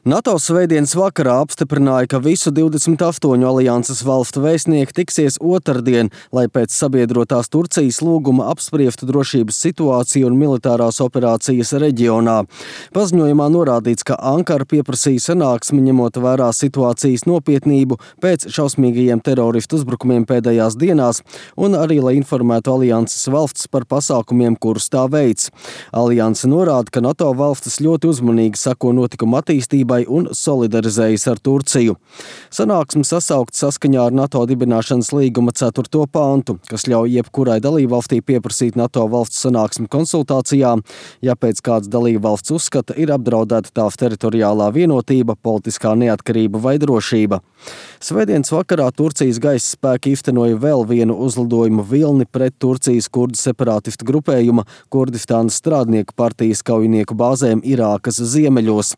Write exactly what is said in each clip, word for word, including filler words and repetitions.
NATO svētdienas vakarā apstiprināja, ka visu divdesmit astoņu alianses valstu vēstnieki tiksies otrdien, lai pēc sabiedrotās Turcijas lūguma apspriestu drošības situāciju un militārās operācijas reģionā. Paziņojumā norādīts, ka Ankara pieprasīja sanāksmi ņemot vērā situācijas nopietnību pēc šausmīgajiem teroristu uzbrukumiem pēdējās dienās un arī, lai informētu alianses valstis par pasākumiem, kurus tā veids. Alianse norāda, ka NATO valstis ļoti uzmanīgi sako notikumu attīstībai un solidarizējas ar Turciju. Sanāksme sasaukt saskaņā ar NATO dibināšanas līguma ceturto pantu, kas ļauj jebkurai dalībvalstī pieprasīt NATO valsts sanāksmi konsultācijām, ja pēc kāds dalībvalsts uzskata ir apdraudēta tās teritoriālā vienotība, politiskā neatkarība vai drošība. Svētdienas vakarā Turcijas gaisa spēki īstenoja vēl vienu uzlidojumu vilni pret Turcijas kurdu separātistu grupējuma Kurdistānas strādnieku partijas kaujinieku bāzēm Irākas ziemeļos.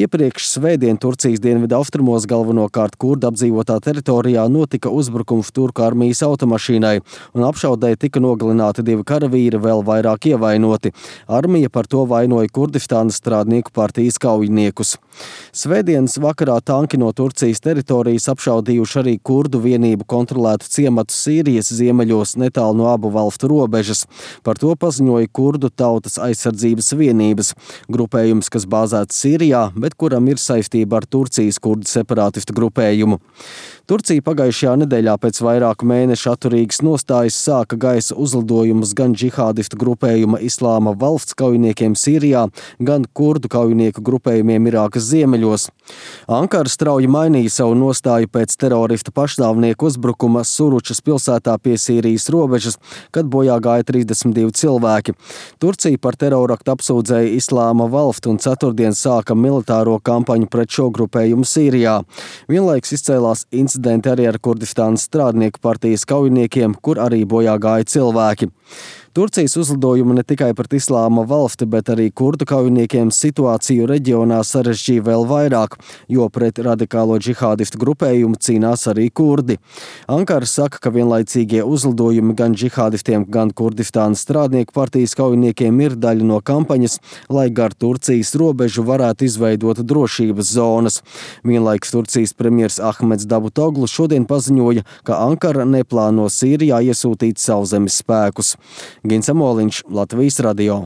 Iepriekš svētdien Turcijas dienvidu austrumos galvenokārt kurdu apdzīvotā teritorijā notika uzbrukums turku armijas automašīnai, un apšaudē tika nogalināti divi karavīri, vēl vairāk ievainoti. Armija par to vainoja Kurdistānas strādnieku partijas kaujiniekus. Svētdienas vakarā tanki no Turcijas teritorijas apšaudījuši arī kurdu vienību kontrolētu ciematu Sīrijas ziemeļos netālu no abu valstu robežas. Par to paziņoja kurdu tautas aizsardzības vienības, grupējums, kas bāzēts Sīrijā, bet kuram ir saistība ar Turcijas kurdu separātistu grupējumu. Turcija pagājušajā nedēļā pēc vairāku mēnešu atturīgas nostājas sāka gaisa uzlidojumus gan džihādistu grupējuma Islāma valsts kaujiniekiem Sīrijā, gan kurdu kaujinieku grupējumiem Irākas ziemeļos. Ankara strauji mainīja savu nostāju pēc teroristu pašnāvnieku uzbrukuma Suručas pilsētā pie Sīrijas robežas, kad bojā gāja trīsdesmit divi cilvēki. Turcija par teroraktu apsūdzēja Islāma valsti un ceturtdien sāka militāro kampaņu pret šo grupējumu Sīrijā. Vienlaiks izcēlās incidenti arī ar Kurdistānas strādnieku partijas kaujiniekiem, kur arī bojā gāja cilvēki. Turcijas uzlidojumi ne tikai pret Islāma valsti, bet arī kurdu kaujiniekiem situāciju reģionā sarežģīja vēl vairāk, jo pret radikālo džihādistu grupējumu cīnās arī kurdi. Ankara saka, ka vienlaicīgie uzlidojumi gan džihādistiem, gan Kurdistānas strādnieku partijas kaujiniekiem ir daļa no kampaņas, lai gar Turcijas robežu varētu izveidot drošības zonas. Vienlaiks Turcijas premjers Ahmeds Davutoglu šodien paziņoja, ka Ankara neplāno Sīrijā iesūtīt sauszemes spēkus. Gins Amoliņš, Latvijas radio.